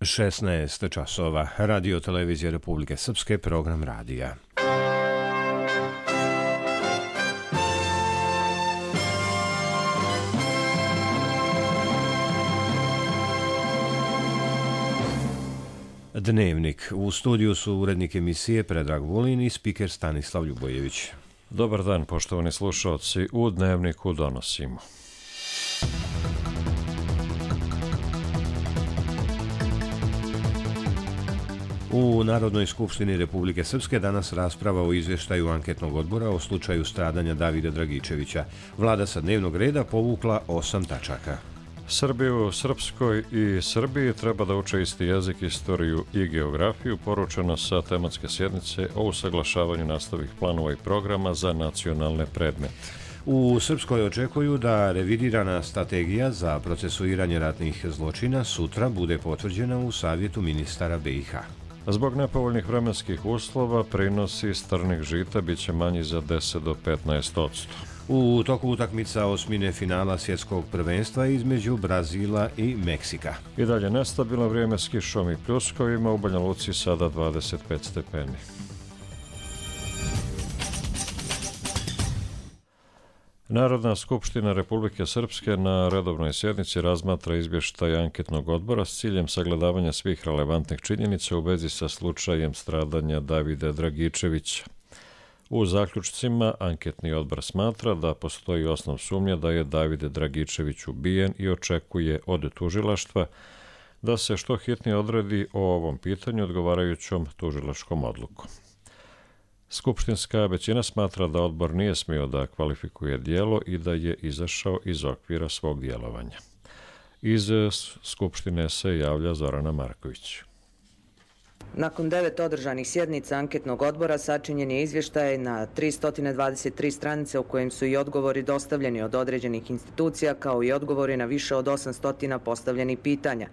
16 časova. Radio Televizija Republike Srpske, program radija. Dnevnik. U studiju su urednik emisije Predrag Vulin i spiker Stanislav Ljubojević. Dobar dan, poštovani slušalci. U Dnevniku donosimo. U Narodnoj skupštini Republike Srpske danas rasprava o izvještaju anketnog odbora o slučaju stradanja Davida Dragičevića. Vlada sa dnevnog reda povukla 8 tačaka. Srbiju, Srpskoj i Srbiji treba da uče isti jezik, istoriju i geografiju, poručeno sa tematske sjednice o usaglašavanju nastavnih planova i programa za nacionalne predmete. U Srpskoj očekuju da revidirana strategija za procesuiranje ratnih zločina sutra bude potvrđena u Savjetu ministara BiH. Zbog nepovoljnih vremenskih uslova, prinosi strnih žita biće manji za 10 do 15%. U toku utakmica osmine finala svjetskog prvenstva između Brazila i Meksika. I dalje nestabilno vrijeme s kišom i pljuskovima, u Banja Luci sada 25 stepeni. Narodna skupština Republike Srpske na redovnoj sjednici razmatra izvještaj anketnog odbora s ciljem sagledavanja svih relevantnih činjenica u vezi sa slučajem stradanja Davida Dragičevića. U zaključcima anketni odbor smatra da postoji osnov sumnje da je David Dragičević ubijen i očekuje od tužilaštva da se što hitnije odredi o ovom pitanju odgovarajućom tužilačkom odlukom. Skupštinska većina smatra da odbor nije smio da kvalifikuje djelo i da je izašao iz okvira svog djelovanja. Iz Skupštine se javlja Zorana Marković. Nakon 9 održanih sjednica anketnog odbora sačinjen je izvještaj na 323 stranice u kojem su i odgovori dostavljeni od određenih institucija kao i odgovori na više od 800 postavljenih pitanja.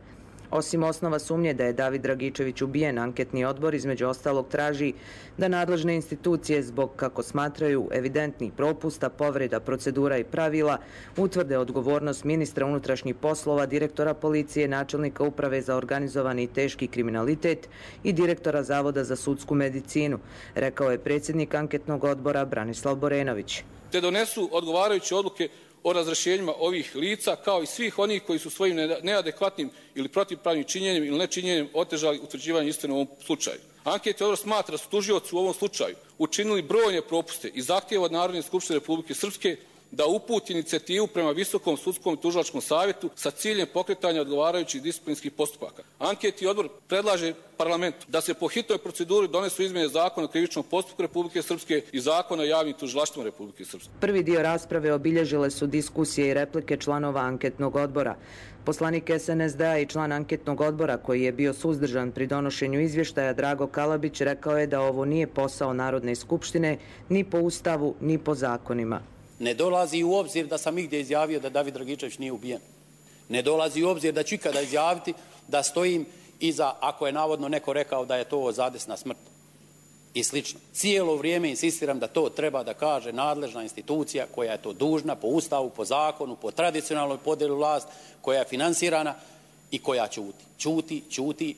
Osim osnova sumnje da je David Dragičević ubijen, anketni odbor između ostalog traži da nadležne institucije zbog, kako smatraju, evidentnih propusta, povreda procedura i pravila utvrde odgovornost ministra unutrašnjih poslova, direktora policije, načelnika uprave za organizovani i teški kriminalitet i direktora Zavoda za sudsku medicinu, rekao je predsjednik anketnog odbora Branislav Borenović. Te donesu odgovarajuće odluke o razrješenjima ovih lica, kao i svih onih koji su svojim neadekvatnim ili protivpravnim činjenjem ili nečinjenjem otežali utvrđivanje istine u ovom slučaju. Anketni odbor smatra da su tužioci u ovom slučaju učinili brojne propuste i zahtijeva od Narodne skupštine Republike Srpske da uputi inicijativu prema Visokom sudskom i tužilačkom savjetu sa ciljem pokretanja odgovarajućih disciplinskih postupaka. Anketni odbor predlaže parlamentu da se po hitnoj proceduri donesu izmjene Zakona o krivičnom postupku Republike Srpske i Zakona o javnim tužilaštvima Republike Srpske. Prvi dio rasprave obilježile su diskusije i replike članova anketnog odbora. Poslanik SNSD-a i član anketnog odbora koji je bio suzdržan pri donošenju izvještaja Drago Kalabić rekao je da ovo nije posao Narodne skupštine ni po Ustavu ni po zakonima. Ne dolazi u obzir da sam igdje izjavio da David Dragičević nije ubijen. Ne dolazi u obzir da ću ikada izjaviti da stojim iza, ako je navodno neko rekao da je to zadesna smrt i slično. Cijelo vrijeme insistiram da to treba da kaže nadležna institucija koja je to dužna po Ustavu, po zakonu, po tradicionalnoj podjeli vlast, koja je finansirana i koja ćuti,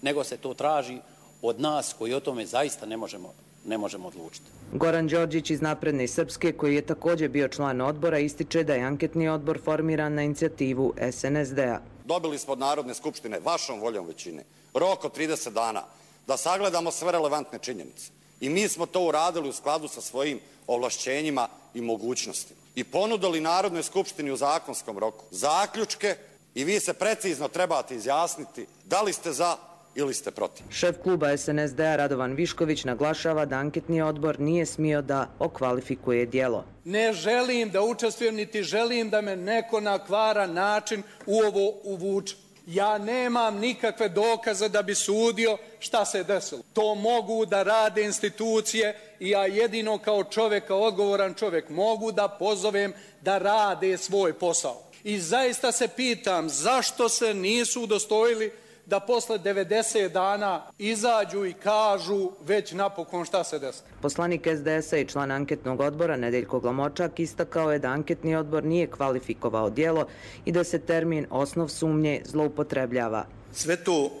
nego se to traži od nas koji o tome zaista ne možemo odlučiti. Goran Đorđić iz Napredne Srpske, koji je također bio član odbora, ističe da je anketni odbor formiran na inicijativu SNSD-a. Dobili smo od Narodne skupštine, vašom voljom većine, rok od 30 dana da sagledamo sve relevantne činjenice. I mi smo to uradili u skladu sa svojim ovlašćenjima i mogućnostima. I ponudili Narodnoj skupštini u zakonskom roku zaključke i vi se precizno trebate izjasniti da li ste za ili ste protiv. Šef kluba SNSD-a Radovan Višković naglašava da anketni odbor nije smio da okvalifikuje djelo. Ne želim da učestvujem, niti želim da me neko na kvaran način u ovo uvuče. Ja nemam nikakve dokaze da bi sudio šta se desilo. To mogu da rade institucije i ja jedino kao čovjek, kao odgovoran čovjek mogu da pozovem da rade svoj posao. I zaista se pitam zašto se nisu udostojili da posle 90 dana izađu i kažu već napokon šta se desilo. Poslanik SDS-a i član anketnog odbora Nedeljko Glamočak istakao je da anketni odbor nije kvalifikovao djelo i da se termin osnov sumnje zloupotrebljava. Sve to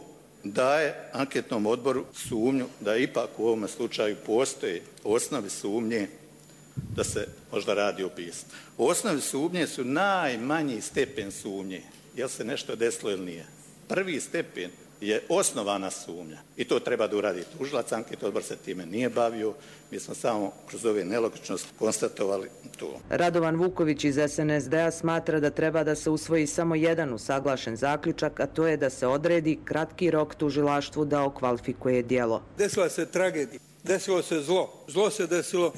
daje anketnom odboru sumnju da ipak u ovom slučaju postoje osnovi sumnje da se možda radi o ubistvu. Osnovi sumnje su najmanji stepen sumnje, jel se nešto desilo ili nije. Prvi stepen je osnovana sumnja i to treba da uradi tužilac. Anketni odbor se time nije bavio, mi smo samo kroz ove nelogičnosti konstatovali to. Radovan Vuković iz SNSD-a smatra da treba da se usvoji samo jedan usaglašen zaključak, a to je da se odredi kratki rok tužilaštvu da okvalifikuje djelo. Desila se tragedija, desilo se zlo. Zlo se desilo,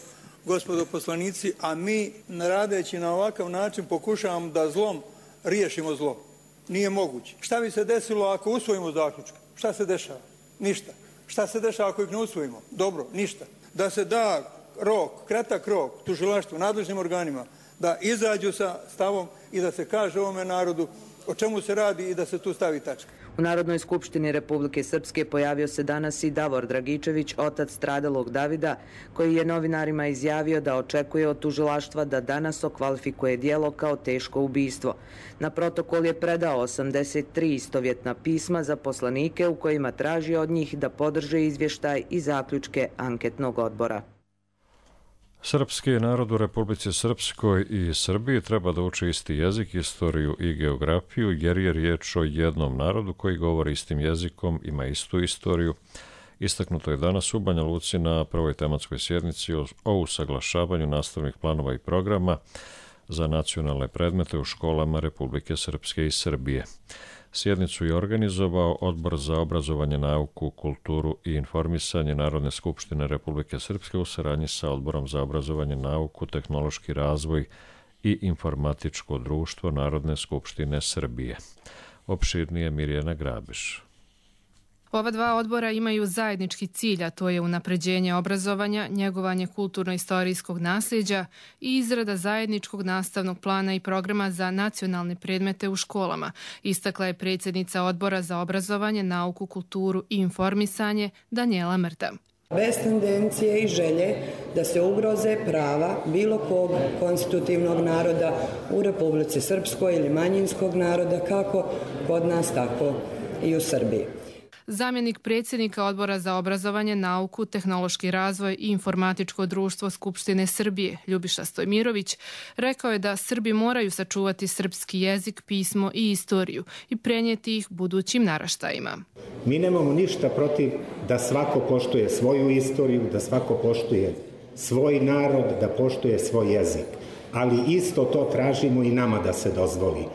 gospodo poslanici, a mi radeći na ovakav način pokušavamo da zlom riješimo zlo. Nije moguće. Šta bi se desilo ako usvojimo zaključke? Šta se dešava? Ništa. Šta se dešava ako ih ne usvojimo? Dobro, ništa. Da se da rok, kratak rok tužilaštvu, nadležnim organima, da izađu sa stavom i da se kaže ovome narodu o čemu se radi i da se tu stavi tačka. U Narodnoj skupštini Republike Srpske pojavio se danas i Davor Dragičević, otac stradalog Davida, koji je novinarima izjavio da očekuje od tužilaštva da danas okvalifikuje djelo kao teško ubistvo. Na protokol je predao 83 istovjetna pisma za poslanike u kojima traži od njih da podrže izvještaj i zaključke anketnog odbora. Srpski narod u Republici Srpskoj i Srbiji treba da uči isti jezik, istoriju i geografiju, jer je riječ o jednom narodu koji govori istim jezikom, ima istu istoriju. Istaknuto je danas u Banja Luci na prvoj tematskoj sjednici o usaglašavanju nastavnih planova i programa za nacionalne predmete u školama Republike Srpske i Srbije. Sjednicu je organizovao Odbor za obrazovanje, nauku, kulturu i informisanje Narodne skupštine Republike Srpske u saradnji sa Odborom za obrazovanje, nauku, tehnološki razvoj i informatičko društvo Narodne skupštine Srbije. Opširnije Mirjana Grabiš. Ova dva odbora imaju zajednički cilj, a to je unapređenje obrazovanja, njegovanje kulturno-istorijskog nasljeđa i izrada zajedničkog nastavnog plana i programa za nacionalne predmete u školama, istakla je predsjednica Odbora za obrazovanje, nauku, kulturu i informisanje Danijela Mrta. Bez tendencije i želje da se ugroze prava bilo kog konstitutivnog naroda u Republici Srpskoj ili manjinskog naroda, kako kod nas, tako i u Srbiji. Zamjenik predsjednika Odbora za obrazovanje, nauku, tehnološki razvoj i informatičko društvo Skupštine Srbije, Ljubiša Stojmirović, rekao je da Srbi moraju sačuvati srpski jezik, pismo i istoriju i prenijeti ih budućim naraštajima. Mi nemamo ništa protiv da svako poštuje svoju istoriju, da svako poštuje svoj narod, da poštuje svoj jezik. Ali isto to tražimo i nama da se dozvoli.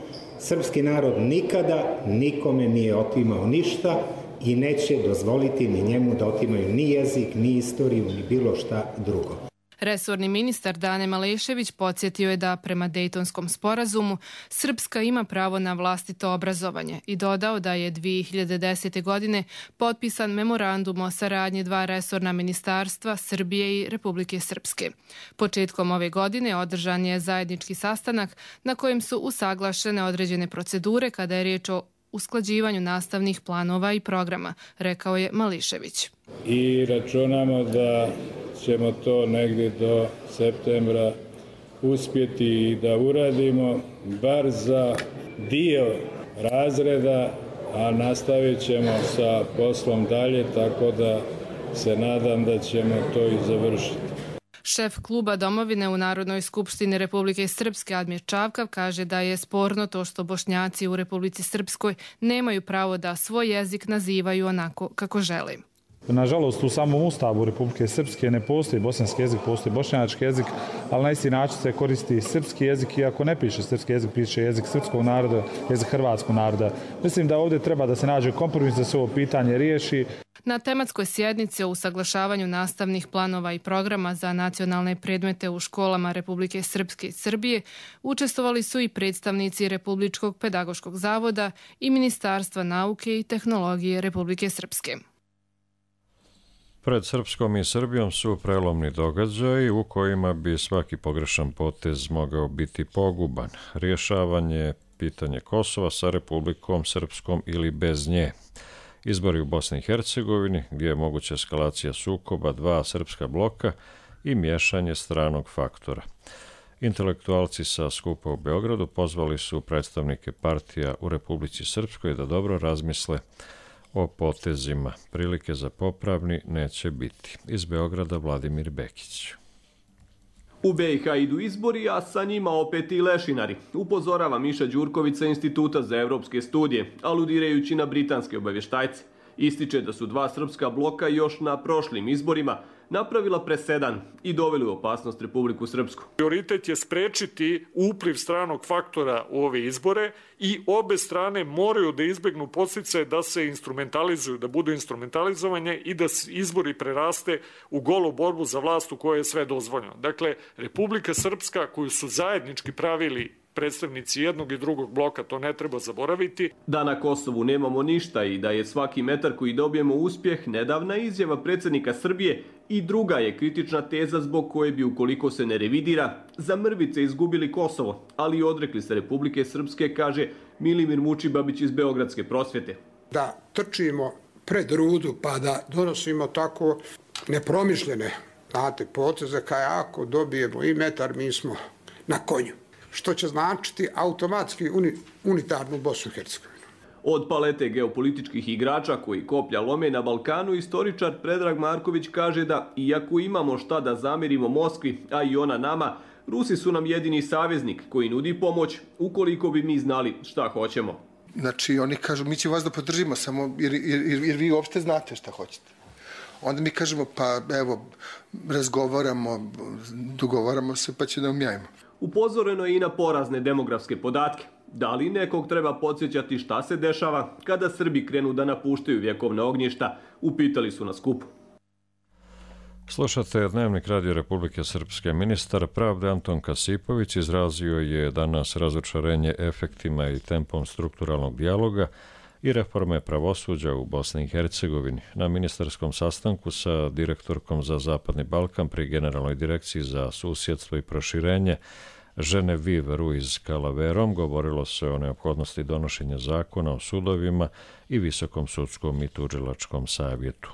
Srpski narod nikada nikome nije otimao ništa i neće dozvoliti ni njemu da otimaju ni jezik, ni istoriju, ni bilo šta drugo. Resorni ministar Dane Malešević podsjetio je da prema Dejtonskom sporazumu Srpska ima pravo na vlastito obrazovanje i dodao da je 2010. godine potpisan memorandum o saradnji dva resorna ministarstva Srbije i Republike Srpske. Početkom ove godine održan je zajednički sastanak na kojem su usaglašene određene procedure kada je riječ o usklađivanju nastavnih planova i programa, rekao je Mališević. I računamo da ćemo to negdje do septembra uspjeti i da uradimo bar za dio razreda, a nastavit ćemo sa poslom dalje, tako da se nadam da ćemo to i završiti. Šef kluba Domovine u Narodnoj skupštini Republike Srpske Admir Čavkav kaže da je sporno to što Bošnjaci u Republici Srpskoj nemaju pravo da svoj jezik nazivaju onako kako žele. Nažalost, u samom Ustavu Republike Srpske ne postoji bosanski jezik, postoji bošnjački jezik, ali na isti način se koristi srpski jezik, iako ne piše srpski jezik, piše jezik srpskog naroda, jezik hrvatskog naroda. Mislim da ovdje treba da se nađe kompromis da se ovo pitanje riješi. Na tematskoj sjednici o usaglašavanju nastavnih planova i programa za nacionalne predmete u školama Republike Srpske i Srbije učestvovali su i predstavnici Republičkog pedagoškog zavoda i Ministarstva nauke i tehnologije Republike Srpske. Pred Srpskom i Srbijom su prelomni događaji u kojima bi svaki pogrešan potez mogao biti poguban. Rješavanje pitanje Kosova sa Republikom Srpskom ili bez nje. Izbori u Bosni i Hercegovini, gdje je moguća eskalacija sukoba dva srpska bloka i miješanje stranog faktora. Intelektualci sa skupa u Beogradu pozvali su predstavnike partija u Republici Srpskoj da dobro razmisle o potezima. Prilike za popravni neće biti. Iz Beograda Vladimir Bekić. U BiH idu izbori, a sa njima opet i lešinari, upozorava Miša Đurković sa Instituta za evropske studije, aludirajući na britanske obavještajce. Ističe da su dva srpska bloka još na prošlim izborima napravila presedan i doveli u opasnost Republiku Srpsku. Prioritet je sprečiti upliv stranog faktora u ove izbore i obe strane moraju da izbegnu podsticaje da se instrumentalizuju, da budu instrumentalizovanje i da izbori preraste u golu borbu za vlast u kojoj je sve dozvoljeno. Dakle, Republika Srpska, koju su zajednički pravili predstavnici jednog i drugog bloka, to ne treba zaboraviti. Da na Kosovu nemamo ništa i da je svaki metar koji dobijemo uspjeh nedavna izjava predsjednika Srbije i druga je kritična teza zbog koje bi, ukoliko se ne revidira, za mrvice izgubili Kosovo, ali i odrekli se Republike Srpske, kaže Milimir Mučibabić iz Beogradske prosvjete. Da trčimo pred rudu pa da donosimo tako nepromišljene poteze, kaj ako dobijemo i metar, mi smo na konju. Što će značiti automatski unitarnu Bosnu i Hercegovinu. Od palete geopolitičkih igrača koji koplja lome na Balkanu, istoričar Predrag Marković kaže da, iako imamo šta da zamerimo Moskvi, a i ona nama, Rusi su nam jedini saveznik koji nudi pomoć ukoliko bi mi znali šta hoćemo. Znači, oni kažu, mi ćemo vas da podržimo samo jer vi uopšte znate šta hoćete. Onda mi kažemo, pa evo, razgovaramo, dogovaramo se, pa će da umjajimo. Upozoreno je i na porazne demografske podatke. Da li nekog treba podsjećati šta se dešava kada Srbi krenu da napuštaju vjekovna ognjišta, upitali su na skupu. Slušate Dnevnik Radio Republike Srpske. Ministar pravde Anton Kasipović izrazio je danas razočarenje efektima i tempom strukturalnog dijaloga i reforme pravosuđa u Bosni i Hercegovini. Na ministarskom sastanku sa direktorkom za Zapadni Balkan pri Generalnoj direkciji za susjedstvo i proširenje Genevieve Ruiz Calaverom govorilo se o neophodnosti donošenja zakona o sudovima i Visokom sudskom i tužilačkom savjetu.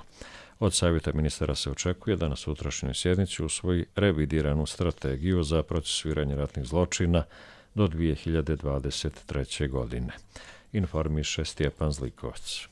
Od savjeta ministara se očekuje da na sutrašnjoj sjednici usvoji revidiranu strategiju za procesuiranje ratnih zločina do 2023. godine. Informiše Stjepan Zlikovac.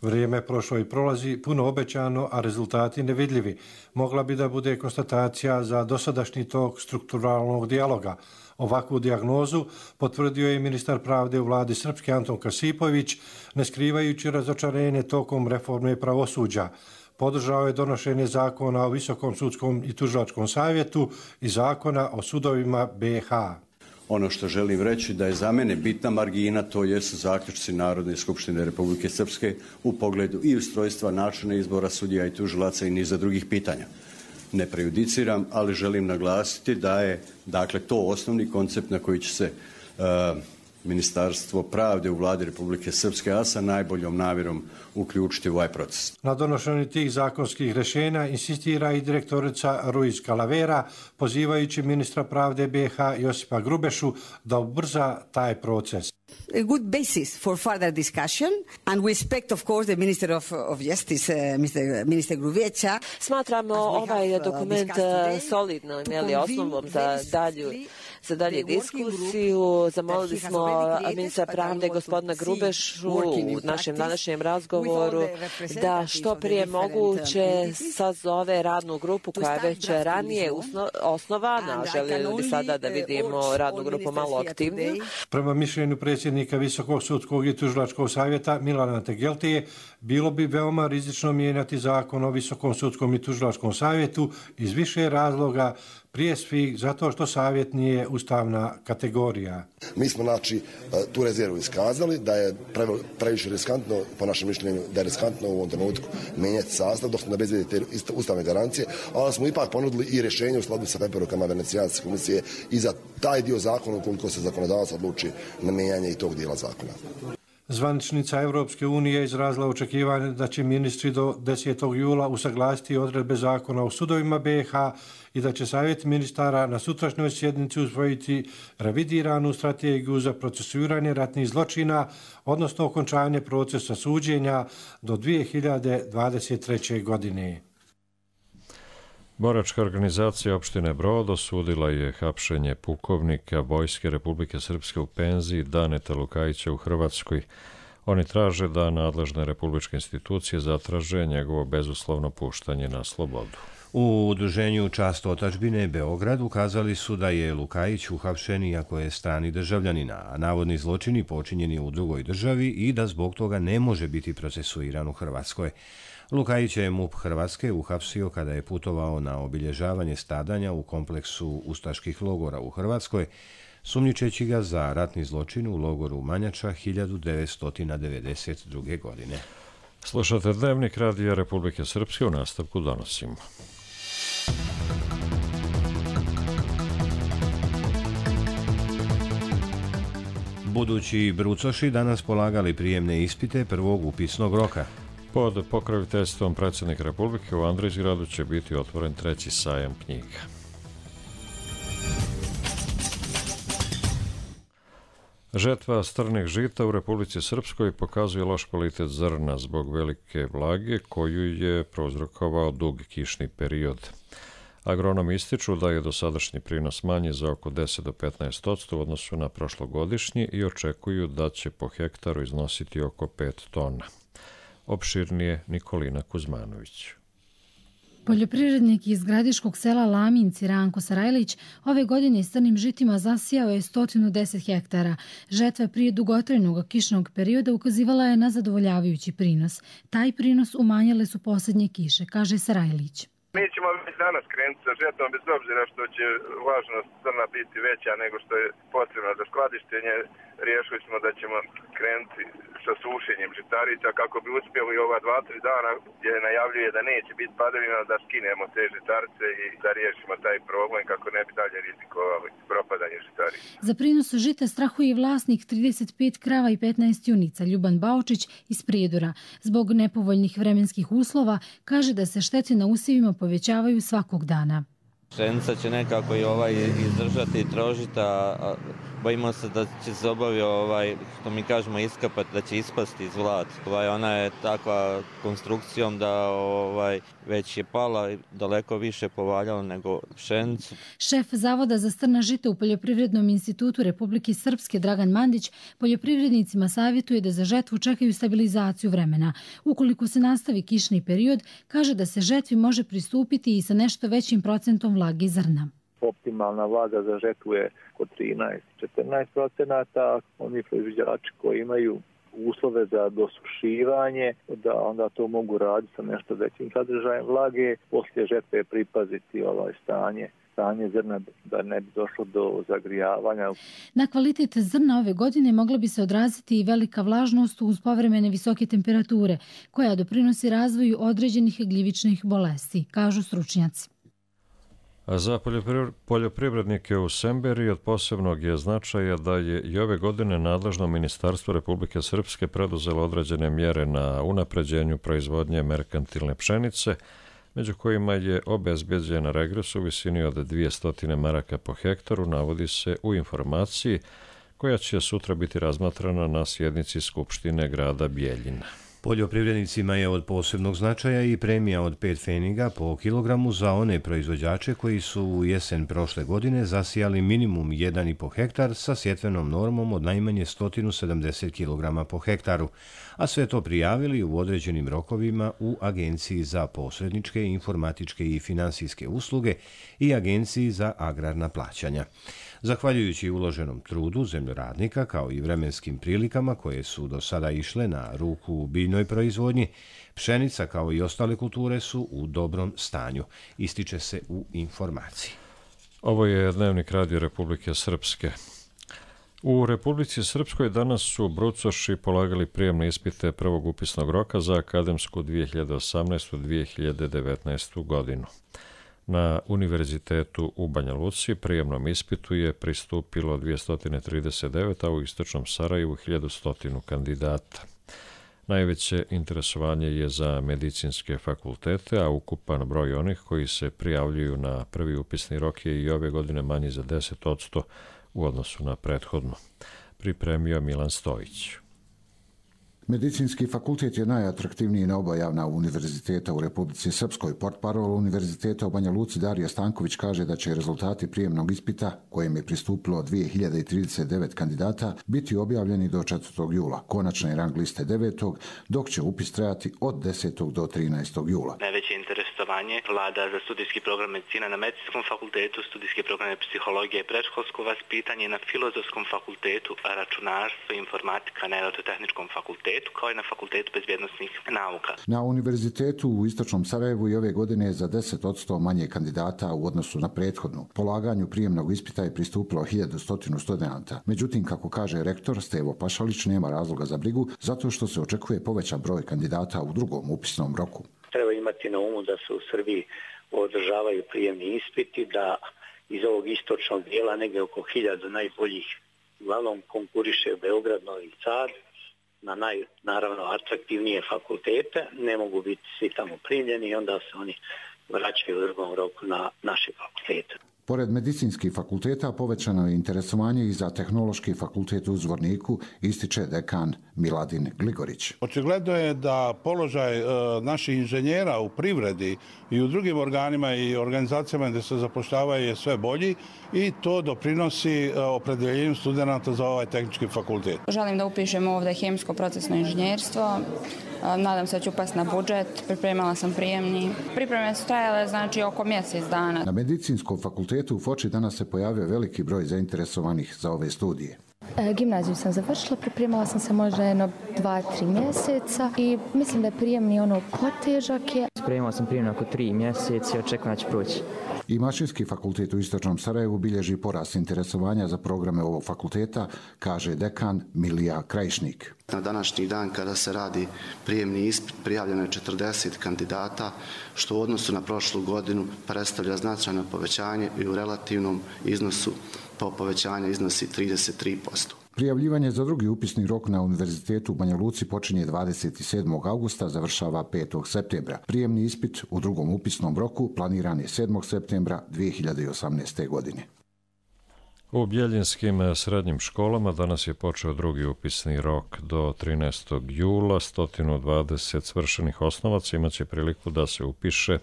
Vrijeme je prošlo i prolazi, puno obećano, a rezultati nevidljivi. Mogla bi da bude konstatacija za dosadašnji tok strukturalnog dijaloga. Ovakvu dijagnozu potvrdio je ministar pravde u vladi Srpske Anton Kasipović, ne skrivajući razočarenje tokom reforme pravosuđa. Podržao je donošenje zakona o Visokom sudskom i tužilačkom savjetu i zakona o sudovima BiH. Ono što želim reći da je za mene bitna margina, to jesu zaključci Narodne skupštine Republike Srpske u pogledu i ustrojstva, načina izbora sudija i tužilaca i niza drugih pitanja. Ne prejudiciram, ali želim naglasiti da je to osnovni koncept na koji će se Ministarstvo pravde u vladi Republike Srpske, a sa najboljom namjerom uključiti u ovaj proces. Na donošenju tih zakonskih rješenja insistira i direktorica Ruiz Calavera, pozivajući ministra pravde BiH Josipa Grubešu da ubrza taj proces. A good basis for further discussion, and we expect, of course, the Minister of Justice, Minister Grubeća. Smatramo ovaj dokument solidnom, osnovom za dalje diskusiju. Zamolili smo ministra pravde gospodina Grubešu u našem današnjem razgovoru da što prije moguće sazove radnu grupu koja je već ranije osnovana. Željeli bi sada da vidimo radnu grupu malo aktivniju. Prema mišljenju predsjednika Visokog sudskog i tužilačkog savjeta Milana Tegeltije, bilo bi veoma rizično mijenjati zakon o Visokom sudskom i tužilačkom savjetu iz više razloga, prije svih zato što savjet nije ustavna kategorija. Mi smo tu rezervu iskazali da je previše riskantno, po našem mišljenju, da je riskantno u ovom trenutku mijenjati sastav dok ne obezbedi te ustavne garancije, ali smo ipak ponudili i rješenje u skladu sa preporukama Venecijanske komisije i za taj dio zakona ukoliko se zakonodavac odluči na mijenjanje i tog dijela zakona. Zvaničnica Europske unije izrazila očekivanje da će ministri do 10. jula usaglasiti odredbe zakona o sudovima BiH i da će Savjet ministara na sutrašnjoj sjednici usvojiti revidiranu strategiju za procesuiranje ratnih zločina, odnosno okončanje procesa suđenja do 2023. godine. Boračka organizacija opštine Brod osudila je hapšenje pukovnika Vojske Republike Srpske u penziji Daneta Lukajića u Hrvatskoj. Oni traže da nadležne republičke institucije zatraže njegovo bezuslovno puštanje na slobodu. U udruženju Čast otadžbine Beograd ukazali su da je Lukajić uhapšen iako je strani državljanin, a navodni zločini počinjeni u drugoj državi i da zbog toga ne može biti procesuiran u Hrvatskoj. Lukajić je MUP Hrvatske uhapsio kada je putovao na obilježavanje stradanja u kompleksu ustaških logora u Hrvatskoj, sumnjičeći ga za ratni zločin u logoru Manjača 1992. godine. Slušate Dnevnik Radija Republike Srpske, u nastavku donosimo. Budući brucoši danas polagali prijemne ispite prvog upisnog roka. Pod pokroviteljstvom predsjednika Republike u Andrijsgradu će biti otvoren 3. sajam knjiga. Žetva strnih žita u Republici Srpskoj pokazuje loš kvalitet zrna zbog velike vlage koju je prouzrokovao dug kišni period. Agronomi ističu da je dosadašnji prinos manji za oko 10 do 15% u odnosu na prošlogodišnji i očekuju da će po hektaru iznositi oko 5 tona. Opširnije Nikolina Kuzmanović. Poljoprivrednik iz gradiškog sela Laminci Ranko Sarajlić ove godine s crnim žitima zasijao je 110 hektara. Žetva prije dugotrajnog kišnog perioda ukazivala je na zadovoljavajući prinos. Taj prinos umanjile su posljednje kiše, kaže Sarajlić. Mi ćemo već danas krenuti sa žetvom bez obzira što će važnost zrna biti veća nego što je potrebno za skladištenje. Riješili smo da ćemo krenuti sa sušenjem žitarica kako bi uspjeli ova 2-3 dana gdje najavljuje da neće biti padavina da skinemo te žitarice i da riješimo taj problem kako ne bi dalje rizikovali propadanje žitarica. Za prinos žita strahuje i vlasnik 35 krava i 15 junica Ljuban Baočić iz Prijedora. Zbog nepovoljnih vremenskih uslova kaže da se štete na usjevima povećavaju svakog dana. Pšenica će nekako i izdržati trožita, bojimo se da će se što mi kažemo iskapati, da će ispasti iz vlad. Ona je takva konstrukcijom da već je pala i daleko više povaljala nego pšenicu. Šef Zavoda za strna žita u Poljoprivrednom institutu Republike Srpske Dragan Mandić poljoprivrednicima savjetuje da za žetvu čekaju stabilizaciju vremena. Ukoliko se nastavi kišni period, kaže da se žetvi može pristupiti i sa nešto većim procentom vlage zrna. Optimalna vlaga za žetvu je oko 13-14%. Oni proizvođači koji imaju uslove za dosušivanje, da onda to mogu raditi sa nešto većim sadržajem vlage. Poslije žetve pripaziti stanje zrna da ne bi došlo do zagrijavanja. Na kvalitet zrna ove godine mogla bi se odraziti i velika vlažnost uz povremene visoke temperature, koja doprinosi razvoju određenih gljivičnih bolesti, kažu stručnjaci. A za poljoprivrednike u Semberi od posebnog je značaja da je i ove godine nadležno Ministarstvo Republike Srpske preduzelo određene mjere na unapređenju proizvodnje merkantilne pšenice, među kojima je obezbeđen regres u visini od 200 maraka po hektaru, navodi se u informaciji koja će sutra biti razmatrana na sjednici Skupštine grada Bijeljina. Poljoprivrednicima je od posebnog značaja i premija od 5 pfeniga po kilogramu za one proizvođače koji su u jesen prošle godine zasijali minimum 1,5 hektar sa sjetvenom normom od najmanje 170 kg po hektaru, a sve to prijavili u određenim rokovima u Agenciji za posredničke, informatičke i finansijske usluge i Agenciji za agrarna plaćanja. Zahvaljujući uloženom trudu zemljoradnika kao i vremenskim prilikama koje su do sada išle na ruku u biljnoj proizvodnji, pšenica kao i ostale kulture su u dobrom stanju, ističe se u informaciji. Ovo je Dnevnik Radija Republike Srpske. U Republici Srpskoj danas su brucoši polagali prijemne ispite prvog upisnog roka za akademsku 2018-2019. godinu. Na univerzitetu u Banja Luci prijemnom ispitu je pristupilo 239, a u istočnom Sarajevu 1100 kandidata. Najveće interesovanje je za medicinske fakultete, a ukupan broj onih koji se prijavljuju na prvi upisni rok je i ove godine manji za 10% u odnosu na prethodno. Pripremio Milan Stojić. Medicinski fakultet je najatraktivniji na oba javna univerziteta u Republici Srpskoj. Portparol Univerziteta u Banja Luci Darija Stanković kaže da će rezultati prijemnog ispita, kojem je pristupilo 2039 kandidata, biti objavljeni do 4. jula. Konačne rang liste 9. dok će upis trajati od 10. do 13. jula. Najveće interesovanje vlada za studijski program medicina na medicinskom fakultetu, studijski program psihologije i predškolsko vaspitanje na filozofskom fakultetu, računarstvo i informatika na elektrotehničkom fakultetu, kao i na Fakultetu bezbjednosnih nauka. Na univerzitetu u Istočnom Sarajevu i ove godine je za 10% manje kandidata u odnosu na prethodnu. Polaganju prijemnog ispita je pristupilo 1100 studenata. Međutim, kako kaže rektor Stevo Pašalić, nema razloga za brigu, zato što se očekuje povećan broj kandidata u drugom upisnom roku. Treba imati na umu da se u Srbiji održavaju prijemni ispiti, da iz ovog istočnog dijela negdje oko 1000 najboljih uglavnom konkuriše Beograd, Novi Sad, na naravno atraktivnije fakultete, ne mogu biti svi tamo primljeni i onda se oni vraćaju u drugom roku na naše fakultete. Pored medicinskih fakulteta povećano je interesovanje i za Tehnološki fakultet u Zvorniku, ističe dekan Miladin Gligorić. Očigledno je da položaj naših inženjera u privredi i u drugim organima i organizacijama gdje se zapošljavaju je sve bolji i to doprinosi opredjeljenju studenata za ovaj tehnički fakultet. Želim da upišem ovdje hemijsko procesno inženjerstvo. Nadam se da ću upasti na budžet, pripremala sam prijemni. Pripreme su trajale oko mjesec dana. Na medicinskom fakultetu u Foči danas se pojavio veliki broj zainteresovanih za ove studije. Gimnaziju sam završila, pripremala sam se možda 2-3 mjeseca i mislim da je prijemni potežak je. Spremala sam prijemni oko 3 mjeseca i očekujem da će proći. I Mašinski fakultet u Istočnom Sarajevu bilježi porast interesovanja za programe ovog fakulteta, kaže dekan Milija Krajišnik. Na današnji dan kada se radi prijemni ispit prijavljeno je 40 kandidata, što u odnosu na prošlu godinu predstavlja značajno povećanje i u relativnom iznosu povećanja iznosi 33%. Prijavljivanje za drugi upisni rok na Univerzitetu u Banja Luci počinje 27. augusta, završava 5. septembra. Prijemni ispit u drugom upisnom roku planiran je 7. septembra 2018. godine. U bjeljinskim srednjim školama danas je počeo drugi upisni rok do 13. jula. 120 svršenih osnovaca imaće priliku da se upiše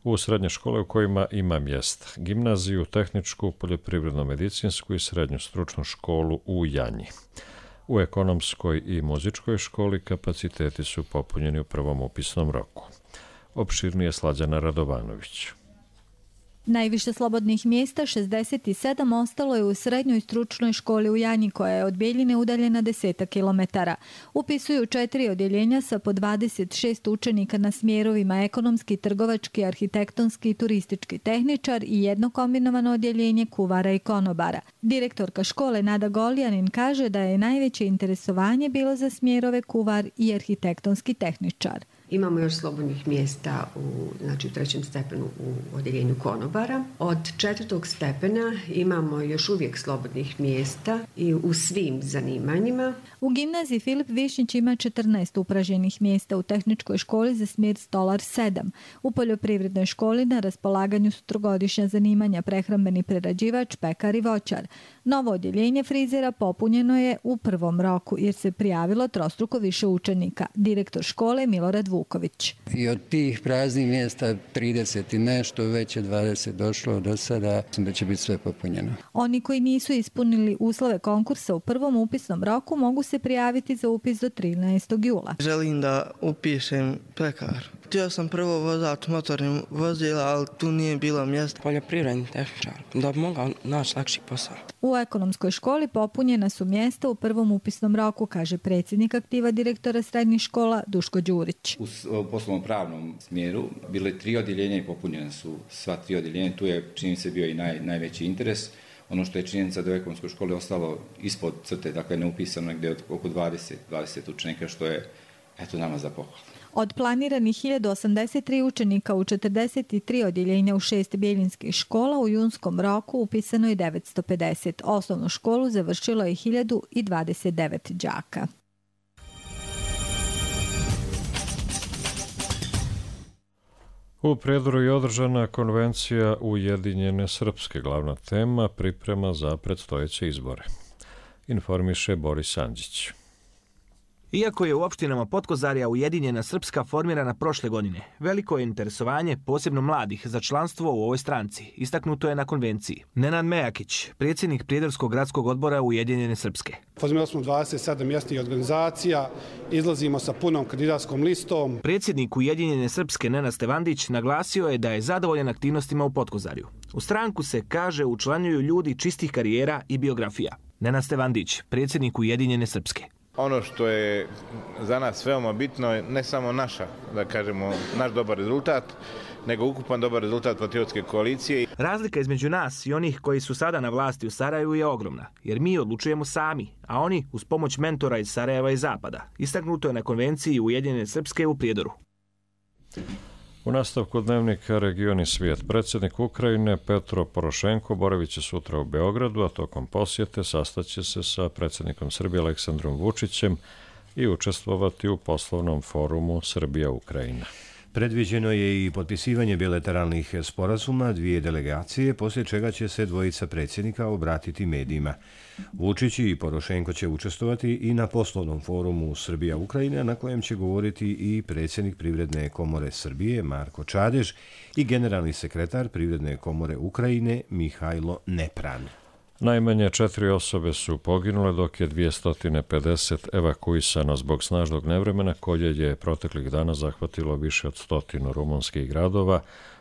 u srednje škole u kojima ima mjesta. Gimnaziju, tehničku, poljoprivredno-medicinsku i srednju stručnu školu u Janji. U ekonomskoj i muzičkoj školi kapaciteti su popunjeni u prvom upisnom roku. Opširnije Slađana Radovanović. Najviše slobodnih mjesta, 67, ostalo je u srednjoj stručnoj školi u Janji, koja je od Bjeljine udaljena 10 kilometara. Upisuju 4 odjeljenja sa po 26 učenika na smjerovima ekonomski, trgovački, arhitektonski i turistički tehničar i jedno kombinovano odjeljenje kuvara i konobara. Direktorka škole Nada Goljanin kaže da je najveće interesovanje bilo za smjerove kuvar i arhitektonski tehničar. Imamo još slobodnih mjesta u trećem stepenu u odjeljenju konobara. Od 4. stepena imamo još uvijek slobodnih mjesta i u svim zanimanjima. U gimnaziji Filip Višnjić ima 14 upražnjenih mjesta, u tehničkoj školi za smjer stolar 7. U poljoprivrednoj školi na raspolaganju su trogodišnja zanimanja prehrambeni prerađivač, pekar i voćar. Novo odjeljenje frizera popunjeno je u prvom roku jer se prijavilo trostruko više učenika. Direktor škole Milorad Vuković. I od tih praznih mjesta 30 i nešto, već je 20 došlo do sada, mislim da će biti sve popunjeno. Oni koji nisu ispunili uslove konkursa u prvom upisnom roku mogu se prijaviti za upis do 13. jula. Želim da upišem pekar. Htio sam prvo vozač motornim vozila, ali tu nije bilo mjesta. Poljoprivredni tehničar, da bi mogao naći lakši posao. U ekonomskoj školi popunjena su mjesta u prvom upisnom roku, kaže predsjednik aktiva direktora srednjih škola Duško Đurić. U poslovno-pravnom smjeru bilo je 3 odjeljenja i popunjene su sva 3 odjeljenja. Tu je, čini se, bio i najveći interes. Ono što je činjenica da u ekonomskoj školi ostalo ispod crte, dakle neupisano negdje oko 20 učenika, što je nama za pohvalu. Od planiranih 1083 učenika u 43 odjeljenja u 6 bijeljinskih škola u junskom roku upisano je 950. Osnovnu školu završilo je 1029 đaka. U Prijedoru je održana konvencija Ujedinjene Srpske, glavna tema priprema za predstojeće izbore. Informiše Boris Andžić. Iako je u opštinama Potkozarja Ujedinjena Srpska formirana prošle godine, veliko je interesovanje, posebno mladih, za članstvo u ovoj stranci, istaknuto je na konvenciji. Nenad Mejakić, predsjednik Prijedorskog gradskog odbora Ujedinjene Srpske. Formirali smo 27 mjesnih organizacija, izlazimo sa punom kandidatskom listom. Predsjednik Ujedinjene Srpske Nenad Stevandić naglasio je da je zadovoljan aktivnostima u Potkozarju. U stranku se, kaže, učlanjuju ljudi čistih karijera i biografija. Nenad Stevandić, predsjednik Ujedinjene Srpske. Ono što je za nas veoma bitno je ne samo naš dobar rezultat, nego ukupan dobar rezultat patriotske koalicije. Razlika između nas i onih koji su sada na vlasti u Sarajevu je ogromna, jer mi odlučujemo sami, a oni uz pomoć mentora iz Sarajeva i Zapada. Istaknuto je na konvenciji Ujedinjene Srpske u Prijedoru. U nastavku dnevnika Region i svijet, predsjednik Ukrajine Petro Porošenko boravit će sutra u Beogradu, a tokom posjete sastaće se sa predsjednikom Srbije Aleksandrom Vučićem i učestvovati u poslovnom forumu Srbija-Ukrajina. Predviđeno je i potpisivanje bilateralnih sporazuma dvije delegacije, poslije čega će se dvojica predsjednika obratiti medijima. Vučić i Porošenko će učestvovati i na poslovnom forumu Srbija-Ukrajina, na kojem će govoriti i predsjednik Privredne komore Srbije Marko Čadež i generalni sekretar Privredne komore Ukrajine Mihajlo Nepran. Najmanje 4 osobe su poginule, dok je 250 evakuisano zbog snažnog nevremena koje je proteklih dana zahvatilo više od 100 rumunskih gradova,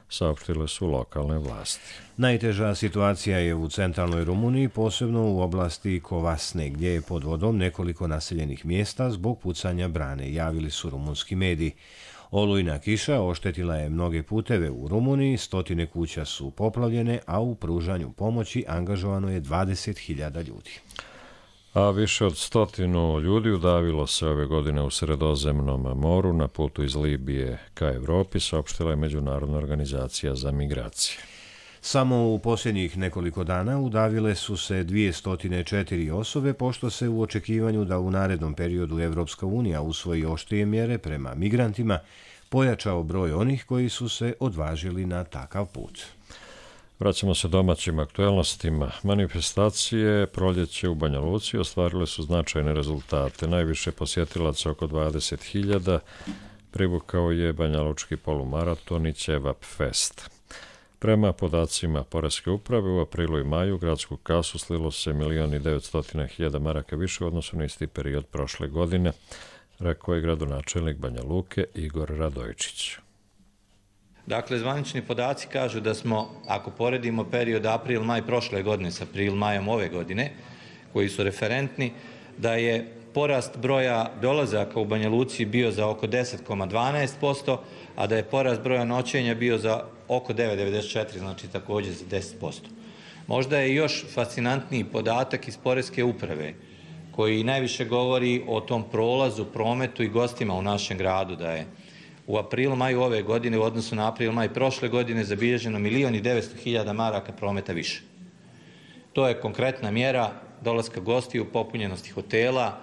saopštile su lokalne vlasti. Najteža situacija je u centralnoj Rumuniji, posebno u oblasti Kovasne, gdje je pod vodom nekoliko naseljenih mjesta zbog pucanja brane, javili su rumunski mediji. Olujna kiša oštetila je mnoge puteve u Rumuniji, 100 kuća su poplavljene, a u pružanju pomoći angažovano je 20.000 ljudi. A više od 100 ljudi udavilo se ove godine u Sredozemnom moru na putu iz Libije ka Evropi, saopštila je Međunarodna organizacija za migracije. Samo u posljednjih nekoliko dana udavile su se 204 osobe, pošto se u očekivanju da u narednom periodu Evropska unija usvoji oštrije mjere prema migrantima, pojačao broj onih koji su se odvažili na takav put. Vraćamo se domaćim aktuelnostima. Manifestacije Proljeće u Banja Luci ostvarile su značajne rezultate. Najviše posjetilaca, oko 20.000, privukao je banjalučki polumaraton i Ćevap Fest. Prema podacima Poreske uprave, u aprilu i maju gradsku kasu slilo se 1.900.000 maraka više u odnosu na isti period prošle godine, rekao je gradonačelnik Banja Luke Igor Radojčić. Dakle, zvanični podaci kažu da smo, ako poredimo period april-maj prošle godine s april-majom ove godine, koji su referentni, da je porast broja dolazaka u Banja Luci bio za oko 10,12%, a da je porast broja noćenja bio za oko 9,94%, znači također za 10%. Možda je još fascinantniji podatak iz Poreske uprave, koji najviše govori o tom prolazu, prometu i gostima u našem gradu, da je u aprilu-maju ove godine u odnosu na april-maj prošle godine zabilježeno 1.900.000 maraka prometa više. To je konkretna mjera dolaska gostiju, popunjenosti hotela,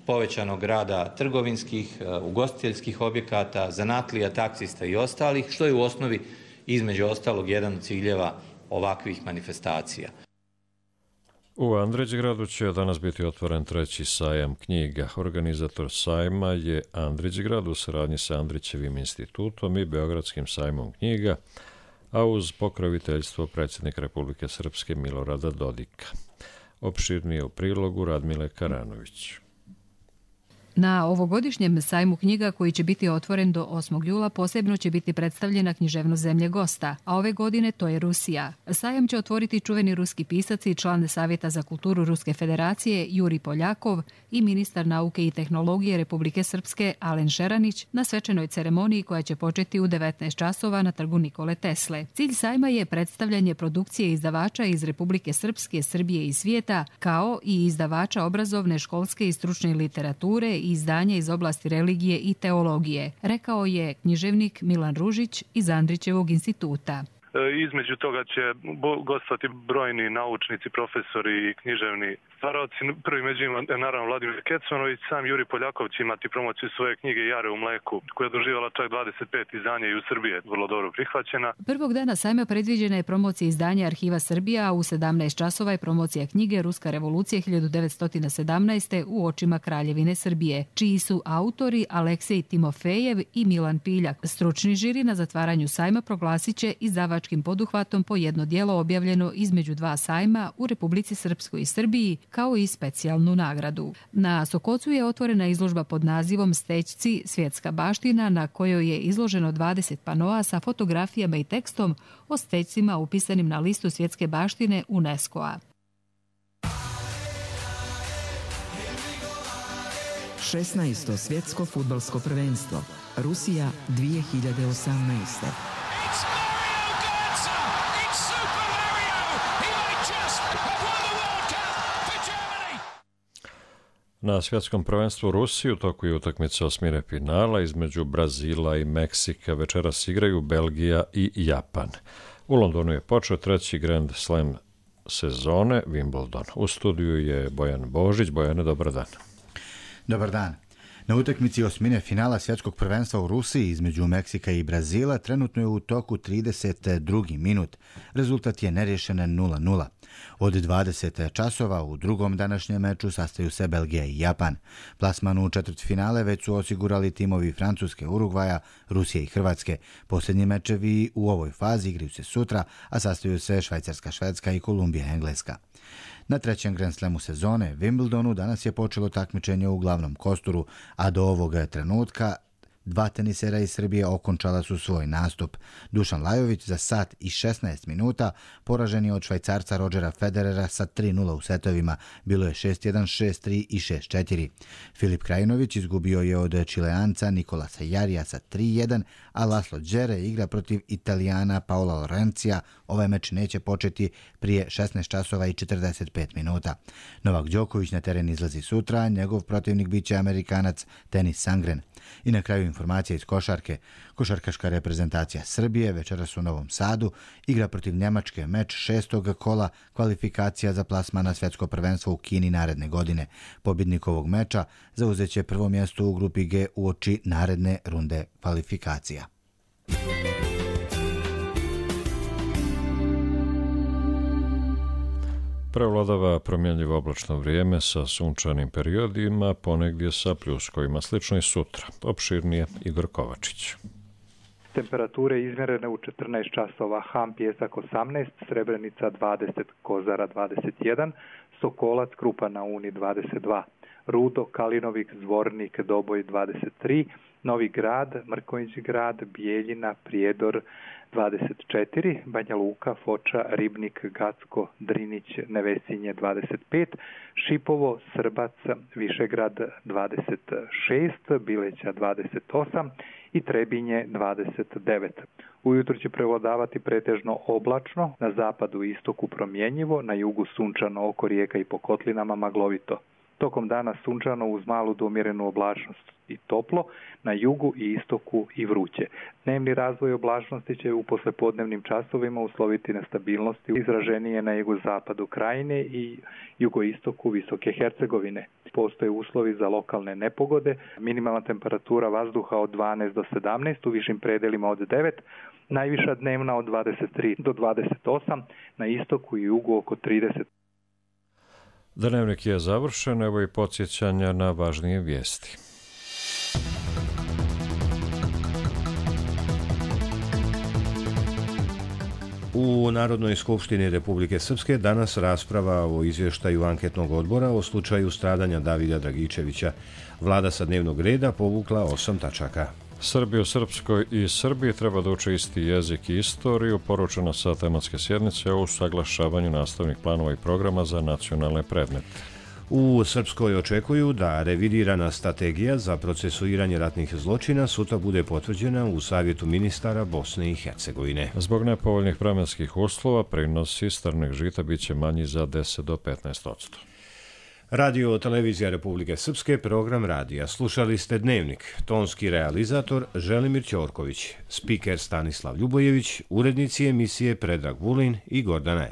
povećanog rada trgovinskih, ugostiteljskih objekata, zanatlija, taksista i ostalih, što je u osnovi između ostalog jedan od ciljeva ovakvih manifestacija. U Andrićgradu će danas biti otvoren 3. sajam knjiga. Organizator sajma je Andrićgrad u saradnji sa Andrićevim institutom i Beogradskim sajmom knjiga, a uz pokroviteljstvo predsjednika Republike Srpske Milorada Dodika. Opširnije u prilogu Radmile Karanović. Na ovogodišnjem sajmu knjiga, koji će biti otvoren do 8. jula, posebno će biti predstavljena književnost zemlje gosta, a ove godine to je Rusija. Sajam će otvoriti čuveni ruski pisac i član Savjeta za kulturu Ruske federacije Juri Poljakov i ministar nauke i tehnologije Republike Srpske Alen Šeranić na svečanoj ceremoniji koja će početi u 19 časova na trgu Nikole Tesle. Cilj sajma je predstavljanje produkcije izdavača iz Republike Srpske, Srbije i svijeta, kao i izdavača obrazovne, školske i stručne literature i izdanja iz oblasti religije i teologije, rekao je književnik Milan Ružić iz Andrićevog instituta. Između toga će gostovati brojni naučnici, profesori i književni stvaralci. Prvi među njima naravno Vladimir Kecmanović, sam Juri Poljaković imati promociju svoje knjige Jare u mleku, koja je doživjela čak 25 izdanja i u Srbiji je vrlo dobro prihvaćena. Prvog dana sajma predviđena je promocija izdanja Arhiva Srbija, a u 17 časova je promocija knjige Ruska revolucija 1917. u očima Kraljevine Srbije, čiji su autori Aleksej Timofejev i Milan Piljak. Stručni žiri na zatvaranju sajma proglasit će izdavačkim poduhvatom po jedno djelo objavljeno između dva sajma u Republici Srpskoj i Srbiji, kao i specijalnu nagradu. Na Sokocu je otvorena izložba pod nazivom Stećci svjetska baština, na kojoj je izloženo 20 panoa sa fotografijama i tekstom o stećcima upisanim na listu svjetske baštine UNESCO-a. 16. svjetsko fudbalsko prvenstvo Rusija 2018. Na svjetskom prvenstvu Rusiji u toku je utakmica osmine finala između Brazila i Meksika. Večeras igraju Belgija i Japan. U Londonu je počeo treći Grand Slam sezone Wimbledon. U studiju je Bojan Božić. Bojane, dobar dan. Dobar dan. Na utakmici osmine finala svjetskog prvenstva u Rusiji između Meksika i Brazila trenutno je u toku 32. minut. Rezultat je nerješen 0-0. Od 20 časova u drugom današnjem meču sastaju se Belgija i Japan. Plasman u četvrtfinale već su osigurali timovi Francuske, Urugvaja, Rusije i Hrvatske. Posljednji mečevi u ovoj fazi igraju se sutra, a sastaju se Švajcarska, Švedska i Kolumbija, Engleska. Na trećem Grand Slamu sezone, Wimbledonu, danas je počelo takmičenje u glavnom kosturu, a do ovog trenutka dva tenisera iz Srbije okončala su svoj nastup. Dušan Lajović za sat i 16 minuta poražen je od Švajcarca Rodgera Federera sa 3-0 u setovima. Bilo je 6-1, 6-3 i 6-4. Filip Krajinović izgubio je od Čileanca Nikolasa Jarija sa 3-1, a Laslo Đere igra protiv Italijana Paola Lorencija. Ovaj meč neće početi prije 16 časova i 45 minuta. Novak Đoković na teren izlazi sutra, njegov protivnik biće Amerikanac Denis Sangren. I na kraju informacija iz košarke. Košarkaška reprezentacija Srbije večeras u Novom Sadu igra protiv Njemačke meč 6. kola kvalifikacija za plasman na svjetsko prvenstvo u Kini naredne godine. Pobjednik ovog meča zauzeće prvo mjesto u grupi G uoči naredne runde kvalifikacija. Prevladava promjenjivo oblačno vrijeme sa sunčanim periodima, ponegdje sa pljuskovima. Slično i sutra. Opširnije Igor Kovačić. Temperature izmjerene u 14 časova, Ham Pjesak 18, Srebrenica 20, Kozara 21, Sokolac, Krupa na Uni 22, Rudo, Kalinovik, Zvornik, Doboj 23, Novi Grad, Mrkonjić Grad, Bijeljina, Prijedor 24, Banja Luka, Foča, Ribnik, Gacko, Drinić, Nevesinje 25, Šipovo, Srbac, Višegrad 26, Bileća 28 i Trebinje 29. Ujutro će prevladavati pretežno oblačno, na zapadu i istoku promjenjivo, na jugu sunčano, oko rijeka i po kotlinama maglovito. Tokom dana sunčano uz malu do umjerenu oblačnost i toplo, na jugu i istoku i vruće. Dnevni razvoj oblačnosti će u poslepodnevnim časovima usloviti na stabilnosti izraženije na jugozapadu Krajine i jugoistoku Visoke Hercegovine. Postoje uslovi za lokalne nepogode, minimalna temperatura vazduha od 12 do 17, u višim predelima od 9, najviša dnevna od 23 do 28, na istoku i jugu oko 30. Dnevnik je završen, evo i podsjećanja na važnije vijesti. U Narodnoj skupštini Republike Srpske danas rasprava o izvještaju anketnog odbora o slučaju stradanja Davida Dragičevića. Vlada sa dnevnog reda povukla 8 tačaka. Srbi u Srpskoj i Srbiji treba da uče isti jezik i istoriju, poručeno sa tematske sjednice o usaglašavanju nastavnih planova i programa za nacionalne predmete. U Srpskoj očekuju da revidirana strategija za procesuiranje ratnih zločina sutra bude potvrđena u Savjetu ministara Bosne i Hercegovine. Zbog nepovoljnih vremenskih uslova prinosi strnog žita biće manji za 10 do 15%. Radio Televizija Republike Srpske, program radija. Slušali ste Dnevnik. Tonski realizator Želimir Ćorković, spiker Stanislav Ljubojević, urednici emisije Predrag Vulin i Gordana